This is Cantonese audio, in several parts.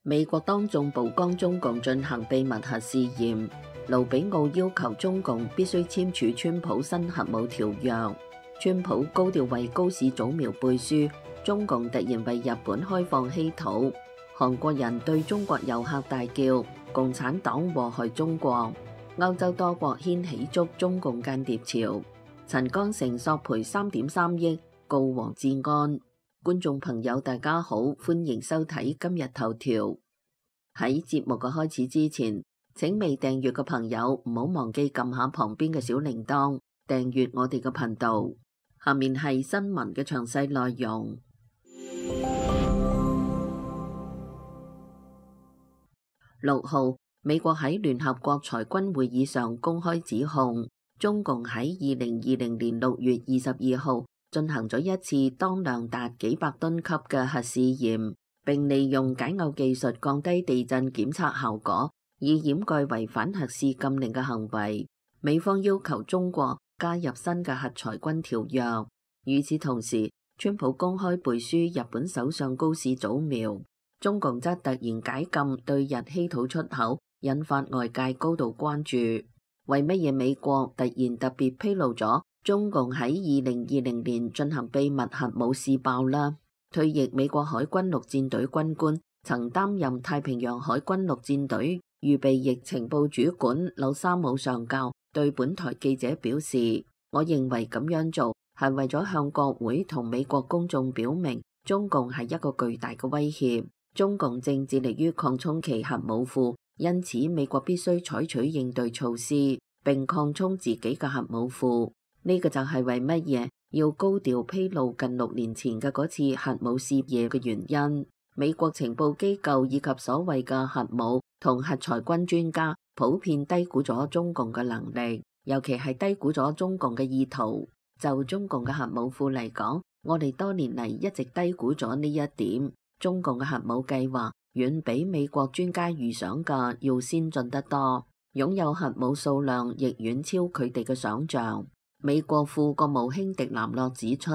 美國當眾曝光中共進行秘密核試驗，盧比奧要求中共必須簽署川普新核武條約。川普高調為高市早苗背書，中共突然為日本開放稀土。韓國人對中國遊客大叫共產黨禍害中國。歐洲多國掀起捉中共間諜潮。陳剛誠索賠3.3億告黃志安。觀眾朋友大家好，歡迎收睇今日頭條。喺節目嘅開始之前，請未訂閱嘅朋友唔好忘記撳下旁邊嘅小鈴鐺，訂閱我哋嘅頻道。下面係新聞嘅詳細內容。6號，美國喺聯合國裁軍會議上公開指控，中共喺2020年6月22號進行咗一次當量達幾百噸級嘅核試驗，並利用解餾技術降低地震檢測效果，以掩蓋違反核試禁令嘅行為。美方要求中國加入新嘅核裁軍條約。與此同時，川普公開背書日本首相高市早苗，中共則突然解禁對日稀土出口，引發外界高度關注。為乜嘢美國突然特別披露咗中共喺2020年進行秘密核武試爆啦？退役美國海軍陸戰隊軍官，曾擔任太平洋海軍陸戰隊預備役情報主管柳沙姆上校對本台記者表示，我認為咁樣做係為咗向國會同美國公眾表明，中共係一個巨大嘅威脅，中共正致力於擴充其核武庫，因此美國必須採取應對措施，並擴充自己嘅核武庫。呢個就係為乜嘢要高調披露近6年前嘅嗰次核武試驗嘅原因。美國情報機構以及所謂嘅核武同核裁軍專家普遍低估咗中共嘅能力，尤其係低估咗中共嘅意圖。就中共嘅核武庫嚟講，我哋多年嚟一直低估咗呢一點。中共嘅核武計劃遠比美國專家預想嘅要先進得多，擁有核武數量亦遠超佢哋嘅想象。美國副國務卿迪南洛指出，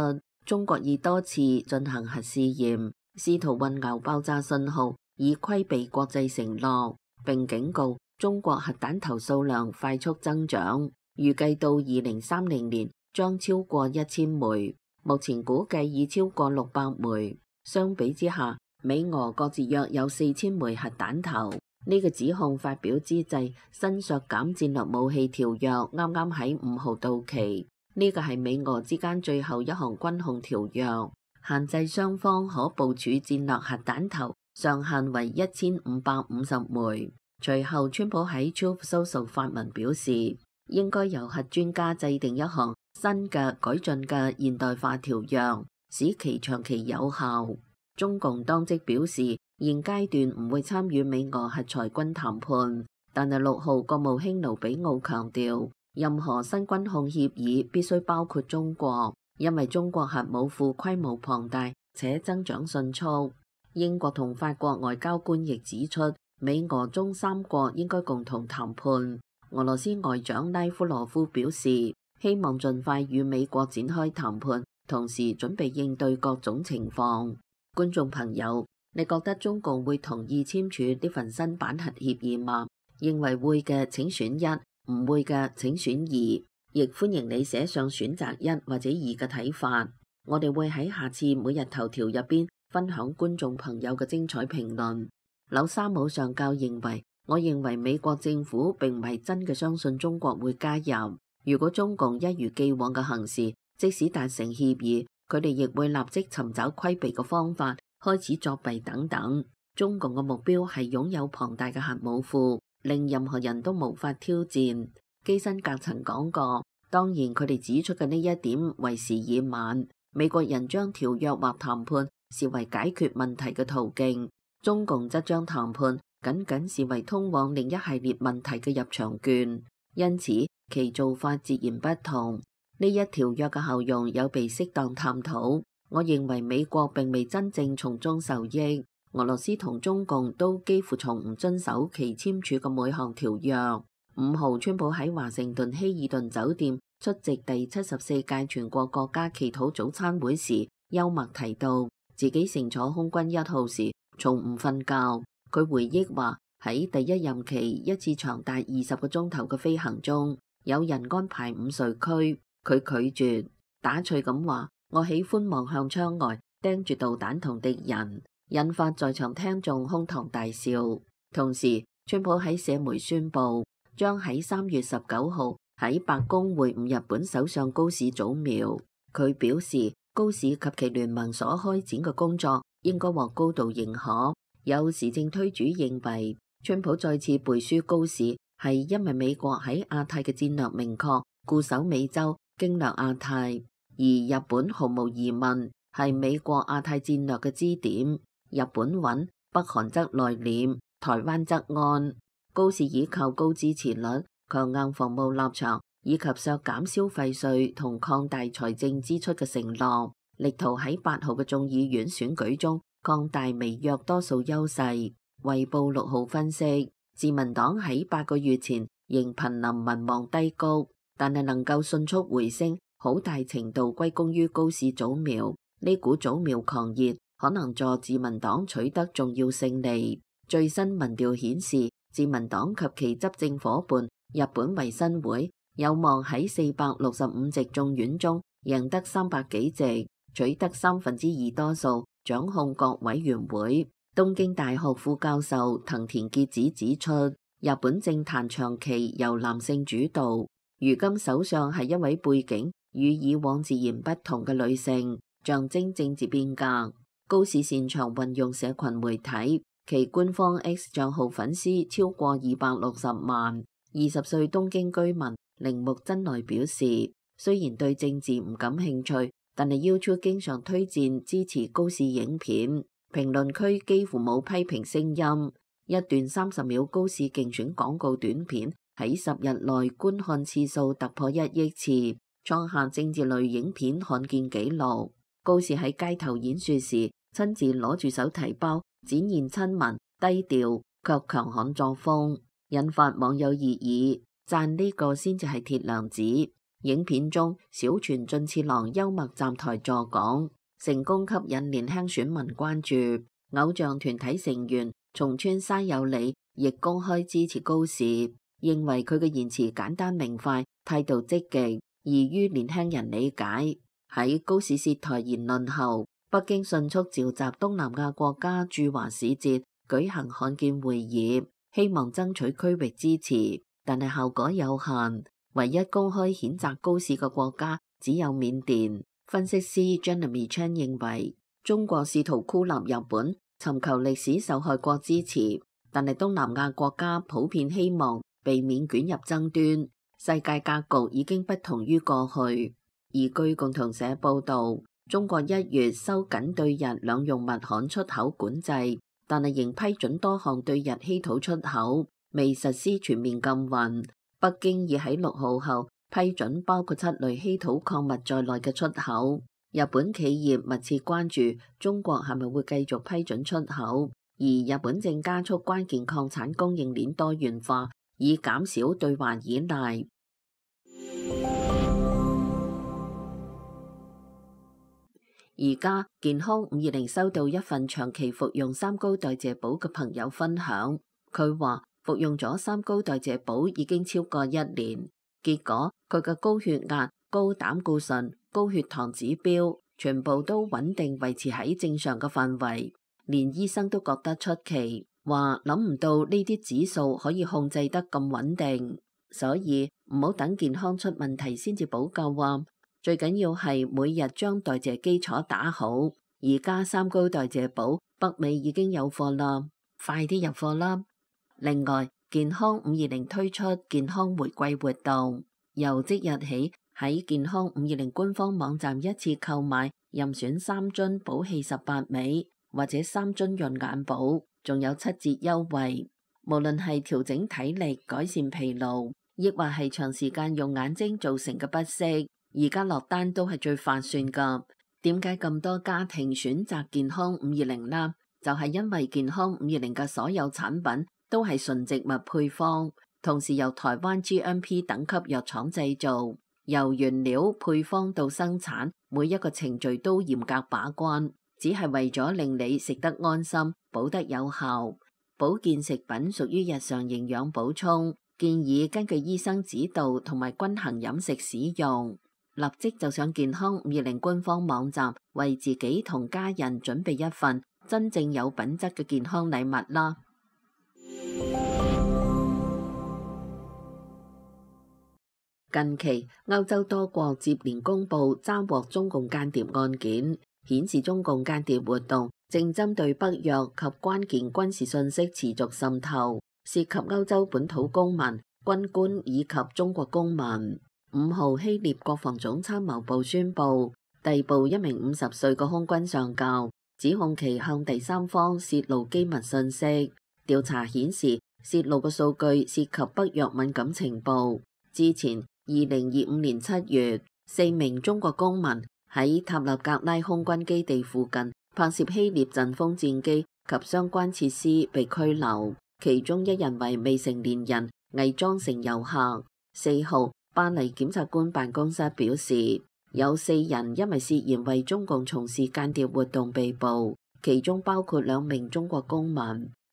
中國已多次進行核試驗，試圖混淆爆炸信號，以規避國際承諾，並警告中國核彈頭數量快速增長，預計到2030年將超過1000枚，目前估計已超過600枚。相比之下，美俄各自約有4000枚核彈頭。呢個指控發表之際，新削減戰略武器條約啱啱喺5號到期。呢個係美俄之間最後一項軍控條約，限制雙方可部署戰略核彈頭上限為1550枚。隨後，川普喺 Truth Social 發文表示，應該由核專家制定一項新嘅改進嘅現代化條約，使其長期有效。中共當即表示，現階段唔會參與美俄核裁軍談判，但係6號國務卿盧比奧強調，任何新軍控協議必須包括中國，因為中國核武庫規模龐大且增長迅速。英國同法國外交官亦指出，美俄中3國應該共同談判。俄羅斯外長拉夫羅夫表示，希望盡快與美國展開談判，同時準備應對各種情況。觀眾朋友，你覺得中共會同意簽署呢份新版核協議嗎？認為會嘅請選1，唔會嘅請選2，亦歡迎你寫上選擇1或者2嘅睇法。我哋會喺下次每日頭條入邊分享觀眾朋友嘅精彩評論。柳沙姆上校認為，我認為美國政府並唔係真嘅相信中國會加入。如果中共一如既往嘅行事，即使達成協議，佢哋亦會立即尋找規避嘅方法，開始作弊等等。中共嘅目標係擁有龐大嘅核武庫，令任何人都無法挑戰。基辛格曾講過，當然佢哋指出嘅呢一點為時已晚。美國人將條約或談判視為解決問題嘅途徑，中共則將談判僅僅視為通往另一系列問題嘅入場券，因此其做法截然不同。呢一條約嘅效用有被適當探討，我認為美國並未真正從中受益，俄羅斯同中共都幾乎從唔遵守其簽署嘅每項條約。5號，川普喺華盛頓希爾頓酒店出席第74屆全國國家祈禱早餐會時，幽默提到自己乘坐空軍1號時從唔瞓覺，佢回憶話喺第一任期一次長達20個鐘頭嘅飛行中，有人安排午睡區，佢拒絕，打趣咁話：我喜歡望向窗外，盯住導彈同敵人，引發在場聽眾哄堂大笑。同時，川普喺社媒宣布將喺3月19號喺白宮會晤日本首相高市早苗。佢表示，高市及其聯盟所開展嘅工作應該獲高度認可。有時政推主認為，川普再次背書高市係因為美國喺亞太嘅戰略明確，固守美洲，經略亞太，而日本毫無疑問係美國亞太戰略嘅支點。日本穩，北韓則內斂，台灣則安。高市依靠高支持率、強硬防務立場以及削減消費稅同擴大財政支出嘅承諾，力圖喺8號嘅眾議院選舉中擴大微弱多數優勢。衛報6號分析，自民黨喺8個月前仍瀕臨民望低谷，但係能夠迅速回升，好大程度歸功於高市早苗。呢股早苗狂熱可能助自民黨取得重要勝利。最新民調顯示，自民黨及其執政夥伴日本維新會有望喺465席眾院中贏得300幾席，取得2/3多數，掌控各委員會。東京大學副教授藤田結子指出，日本政壇長期由男性主導，如今首相係一位背景與以往自然不同嘅女性，象徵政治變革。高市擅長運用社群媒體，其官方 X 賬號粉絲超過260萬。20歲東京居民鈴木真奈表示，雖然對政治唔感興趣，但係 YouTube 經常推薦支持高市影片。評論區幾乎冇批評聲音。一段30秒高市競選廣告短片喺10日內觀看次數突破1億次，創下政治類影片罕見紀錄。高市喺街頭演說時，親自攞住手提包，展現親民、低調卻強悍作風，引發網友熱議，讚呢個先至係鐵娘子。影片中，小泉進次郎幽默站台助講，成功吸引年輕選民關注。偶像團體成員松村沙友里亦公開支持高市，認為佢嘅言辭簡單明快，態度積極，易於年輕人理解。喺高市涉台言論後，北京迅速召集東南亞國家駐華使節舉行罕見會議，希望爭取區域支持，但係效果有限。唯一公開譴責高市嘅國家只有緬甸。分析師 Jeremy Chan 認為，中國試圖孤立日本，尋求歷史受害國支持，但係東南亞國家普遍希望避免捲入爭端。世界格局已經不同於過去。而據共同社報導，中國1月收緊對日兩用物焊出口管制，但係仍批准多項對日稀土出口，未實施全面禁運。北京已喺6號後批准包括7類稀土礦物在內嘅出口。日本企業密切關注中國係咪會繼續批准出口，而日本正加速關鍵礦產供應鏈多元化，以減少對華依賴。而家健康520收到一份長期服用三高代謝寶嘅朋友分享，佢話服用咗三高代謝寶已經超過1年，結果佢嘅高血壓、高膽固醇、高血糖指標全部都穩定維持喺正常嘅範圍，連醫生都覺得出奇，話諗唔到呢啲指數可以控制得咁穩定，所以唔好等健康出問題先至補救啊！最緊要係每日將代謝基礎打好。而家三高代謝寶北美已經有貨啦，快啲入貨啦！另外，健康520推出健康玫瑰活動，由即日起喺健康520官方網站一次購買任選3樽寶氣18味或者3樽潤眼寶，仲有7折優惠。無論係調整體力、改善疲勞，亦或係長時間用眼睛造成嘅不適，而家落單都係最划算噶。點解咁多家庭選擇健康520呢？就係因為健康520嘅所有產品都係純植物配方，同時由台灣 GMP 等級藥廠製造，由原料配方到生產，每一個程序都嚴格把關，只係為咗令你食得安心，補得有效。保健食品屬於日常營養補充，建議根據醫生指導同埋均衡飲食使用。立即就上健康520官方網站，為自己同家人準備一份真正有品質嘅健康禮物啦！近期歐洲多國接連公布抓獲中共間諜案件，顯示中共間諜活動正針對北約及關鍵軍事信息持續滲透，涉及歐洲本土公民、軍官以及中國公民。5號希臘國防總參謀部宣布逮捕一名50歲嘅空軍上校，指控其向第三方泄露機密信息。調查顯示，泄露嘅數據涉及北約敏感情報。之前2025年7月，4名中國公民喺塔勒格拉空軍基地附近拍攝希臘陣風戰機及相關設施被拘留，其中一人為未成年人，偽裝成遊客。4號，巴黎檢察官辦公室表示，有4人因為涉嫌為中共從事間諜活動被捕，其中包括2名中國公民。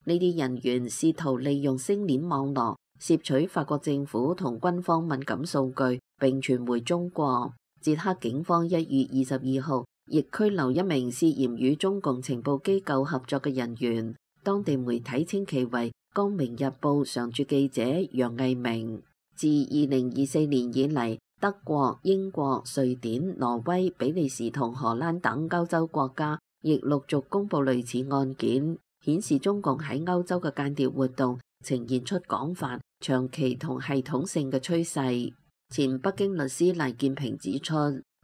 呢啲人員試圖利用星鏈網絡竊取法國政府同軍方敏感數據並傳回中國。捷克警方1月22號亦拘留一名涉嫌與中共情報機構合作嘅人員，當地媒體稱其為《光明日報》常駐記者楊毅明。自2024年以嚟，德國、英國、瑞典、挪威、比利時同荷蘭等歐洲國家亦陸續公布類似案件，顯示中共喺歐洲嘅間諜活動呈現出廣泛、長期同系統性嘅趨勢。前北京律師黎建平指出，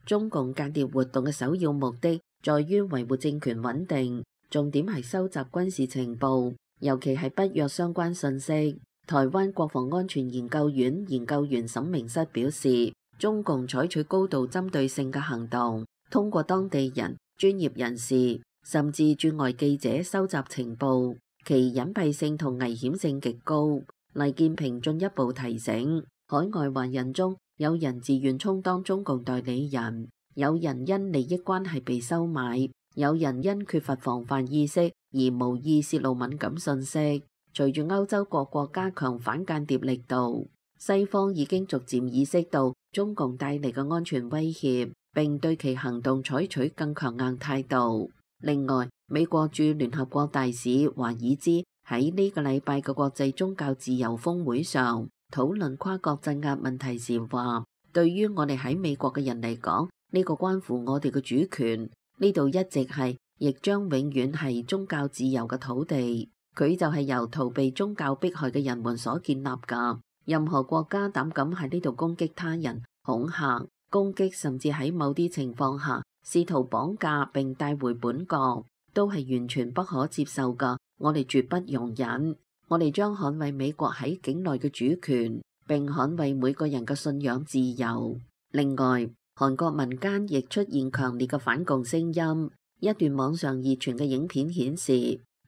中共間諜活動嘅首要目的在於維護政權穩定，重點係收集軍事情報，尤其係北約相關信息。台灣國防安全研究院研究員沈明室表示，中共採取高度針對性嘅行動，通過當地人、專業人士甚至駐外記者收集情報，其隱蔽性同危險性極高。黎建平進一步提醒，海外華人中有人自願充當中共代理人，有人因利益關係被收買，有人因缺乏防範意識而無意泄露敏感信息。隨住歐洲各國加強反間諜力度，西方已經逐漸意識到中共帶嚟嘅安全威脅，並對其行動採取更強硬態度。另外，美國駐聯合國大使華爾茲喺呢個禮拜嘅國際宗教自由峰會上討論跨國鎮壓問題時話，對於我哋喺美國嘅人嚟講，呢個關乎我哋嘅主權，呢度一直係，亦將永遠係宗教自由嘅土地。佢就係由逃避宗教迫害嘅人們所建立㗎。任何國家膽敢喺呢度攻擊他人、恐嚇、攻擊，甚至喺某啲情況下試圖綁架並帶回本國，都係完全不可接受㗎。我哋絕不容忍。我哋將捍衛美國喺境內嘅主權，並捍衛每個人嘅信仰自由。另外，韓國民間亦出現強烈嘅反共聲音。一段網上熱傳嘅影片顯示，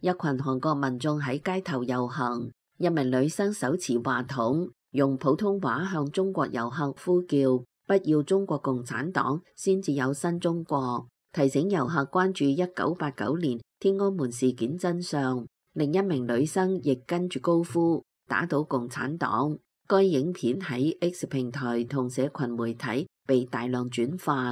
一群韓國民眾喺街頭遊行，一名女生手持話筒，用普通話向中國遊客呼叫，不要中國共產黨，先至有新中國，提醒遊客關注1989年天安門事件真相。另一名女生亦跟住高呼打倒共產黨。該影片喺 X 平台同社群媒體被大量轉發。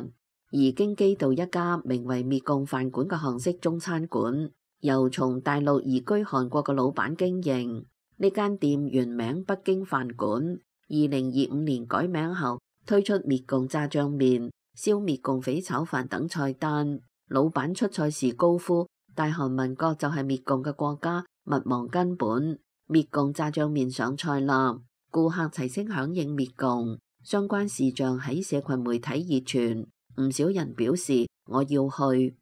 而京畿道一家名為滅共飯館嘅韓式中餐館，由從大陸移居韓國嘅老闆經營。呢間店原名北京飯館，2025年改名後推出滅共炸醬麵、燒滅共匪炒飯等菜單。老闆出菜時高呼：大韓民國就係滅共嘅國家，勿忘根本。滅共炸醬麵上菜啦，顧客齊聲響應滅共。相關視像喺社群媒體熱傳，唔少人表示我要去。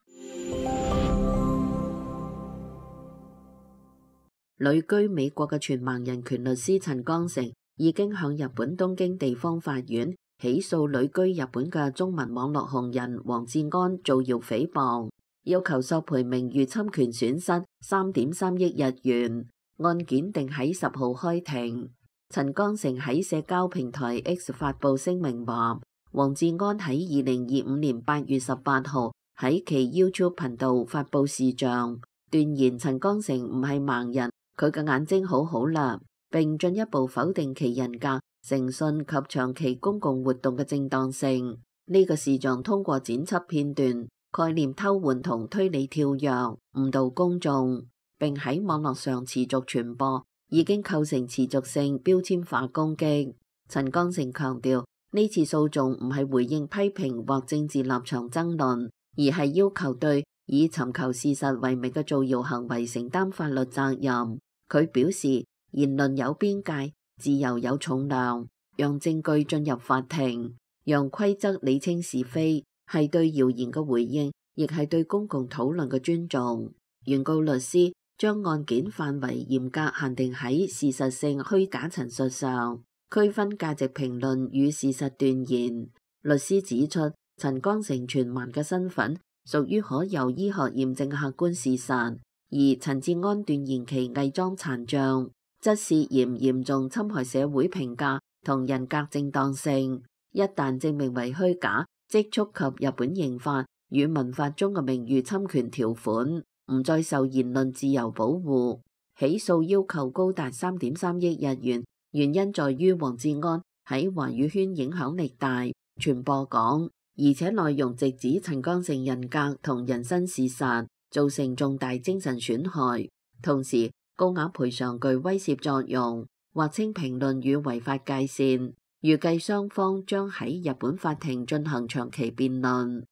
旅居美國嘅全盲人權律師陳光誠已經向日本東京地方法院起訴旅居日本嘅中文網絡紅人黃志安造謠誹謗，要求索賠名譽侵權損失3.3億日元。案件定喺10號開庭。陳光誠喺社交平台 X 發布聲明話，黃志安喺2025年8月18號喺其 YouTube 頻道發布視像，斷言陳光誠唔係盲人。佢嘅眼睛好好啦，並進一步否定其人格、誠信及長期公共活動嘅正當性。呢個視像通過剪輯片段、概念偷換同推理跳躍，誤導公眾，並喺網絡上持續傳播，已經構成持續性標籤化攻擊。陳剛誠強調，呢次訴訟唔係回應批評或政治立場爭論，而係要求對以尋求事實為名嘅造謠行為承擔法律責任。佢表示，言論有邊界，自由有重量，讓證據進入法庭，讓規則理清是非，係對謠言嘅回應，亦係對公共討論嘅尊重。原告律師將案件範圍嚴格限定喺事實性虛假陳述上，區分價值評論與事實斷言。律師指出，陳剛誠傳喚嘅身份屬於可由醫學驗證嘅客觀事實，而陳志安斷言其偽裝殘障，則涉嫌嚴重侵害社會評價同人格正當性。一旦證明為虛假，即觸及日本刑法與民法中嘅名譽侵權條款，唔再受言論自由保護。起訴要求高達3.3億日元，原因在於黃志安喺華語圈影響力大、傳播廣，而且內容直指陳剛誠人格同人身事實，造成重大精神損害。同時，高額賠償具威懾作用，劃清評論與違法界線。預計雙方將喺日本法庭進行長期辯論。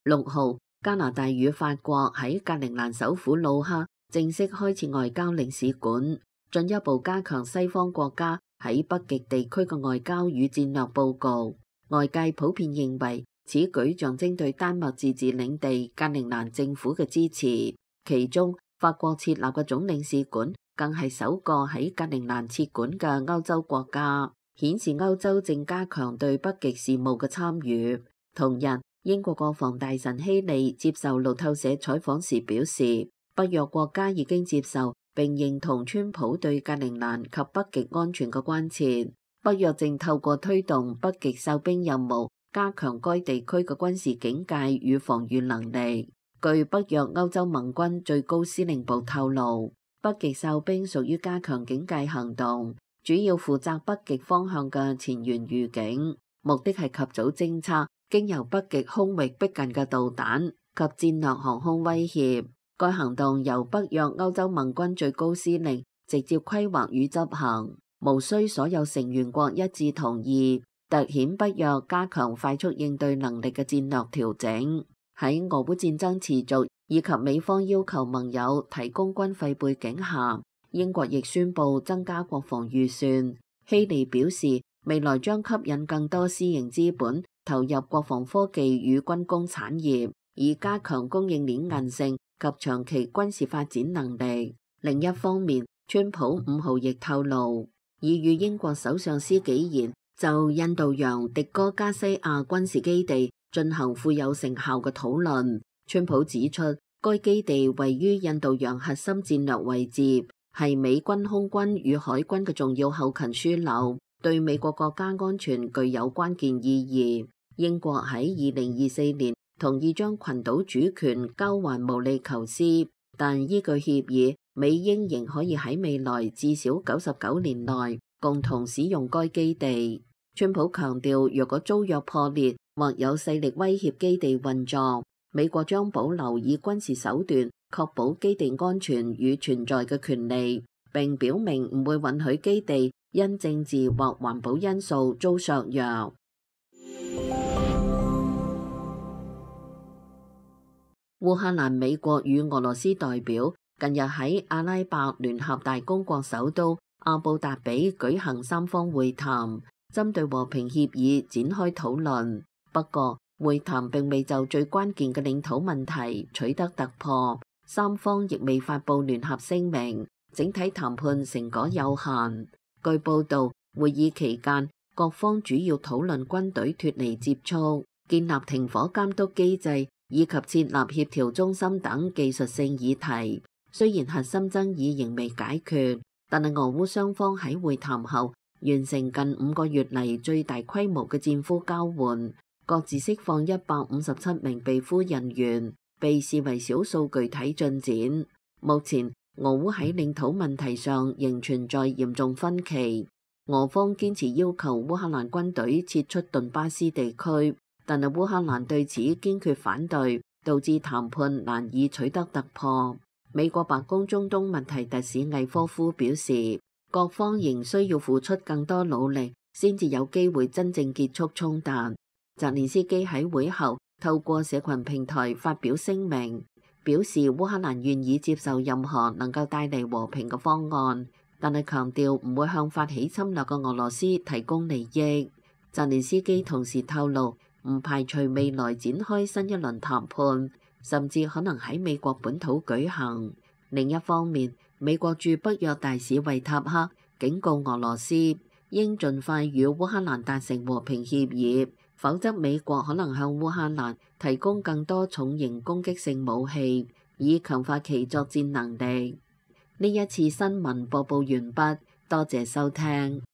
6號，加拿大與法國喺格陵蘭首府魯克正式開設外交領事館，進一步加強西方國家喺北極地區嘅外交與戰略佈局。外界普遍認為，此舉象徵對丹麥自治領地格陵蘭政府嘅支持。其中，法國設立嘅總領事館更係首個喺格陵蘭設館嘅歐洲國家，顯示歐洲正加強對北極事務嘅參與。同日，英國國防大臣希利接受路透社採訪時表示，北約國家已經接受並認同川普對格陵蘭及北極安全嘅關切。北約正透過推動北極哨兵任務，加強該地區嘅軍事警戒與防禦能力。據北約歐洲盟軍最高司令部透露，北極哨兵屬於加強警戒行動，主要負責北極方向嘅前沿預警，目的係及早偵測經由北極空域逼近嘅導彈及戰略航空威脅。該行動由北約歐洲盟軍最高司令直接規劃與執行，無需所有成員國一致同意，凸顯北約加強快速應對能力嘅戰略調整。喺俄烏戰爭持續以及美方要求盟友提供軍費背景下，英國亦宣布增加國防預算。希利表示，未來將吸引更多私營資本投入國防科技與軍工產業，以加強供應鏈韌性及長期軍事發展能力。另一方面，川普5號亦透露，已與英國首相施紀賢就印度洋迪戈加西亞軍事基地進行富有成效嘅討論。川普指出，該基地位於印度洋核心戰略位置，係美軍空軍與海軍嘅重要後勤樞紐，對美國國家安全具有關鍵意義。英國喺2024年同意將群島主權交還毛里求斯，但依據協議，美英仍可以喺未來至少99年內共同使用該基地。川普強調，若果租約破裂或有勢力威脅基地運作，美國將保留以軍事手段確保基地安全與存在嘅權利，並表明唔會允許基地因政治或環保因素遭削弱。烏克蘭、美國與俄羅斯代表近日喺阿拉伯聯合大公國首都阿布達比舉行三方會談，針對和平協議展開討論。不過，會談並未就最關鍵嘅領土問題取得突破，三方亦未發布聯合聲明，整體談判成果有限。據報道，會議期間各方主要討論軍隊脫離接觸、建立停火監督機制以及設立協調中心等技術性議題。雖然核心爭議仍未解決，但係俄烏雙方喺會談後完成近5個月嚟最大規模嘅戰俘交換，各自釋放157名被俘人員。被視為少數具體進展。目前，俄烏喺領土問題上仍存在嚴重分歧。俄方堅持要求烏克蘭軍隊撤出頓巴斯地區，但係烏克蘭對此堅決反對，導致談判難以取得突破。美國白宮中東問題特使魏科夫表示，各方仍需要付出更多努力，先至有機會真正結束衝突。澤連斯基喺會後透過社群平台發表聲明，表示烏克蘭願意接受任何能夠帶嚟和平嘅方案，但係強調唔會向發起侵略嘅俄羅斯提供利益。澤連斯基同時透露，唔排除未來展開新一輪談判，甚至可能喺美國本土舉行。另一方面，美國駐北約大使維塔克警告俄羅斯，應盡快與烏克蘭達成和平協議，否則美國可能向烏克蘭提供更多重型攻擊性武器，以強化其作戰能力。呢一次新聞播報完畢，多謝收聽。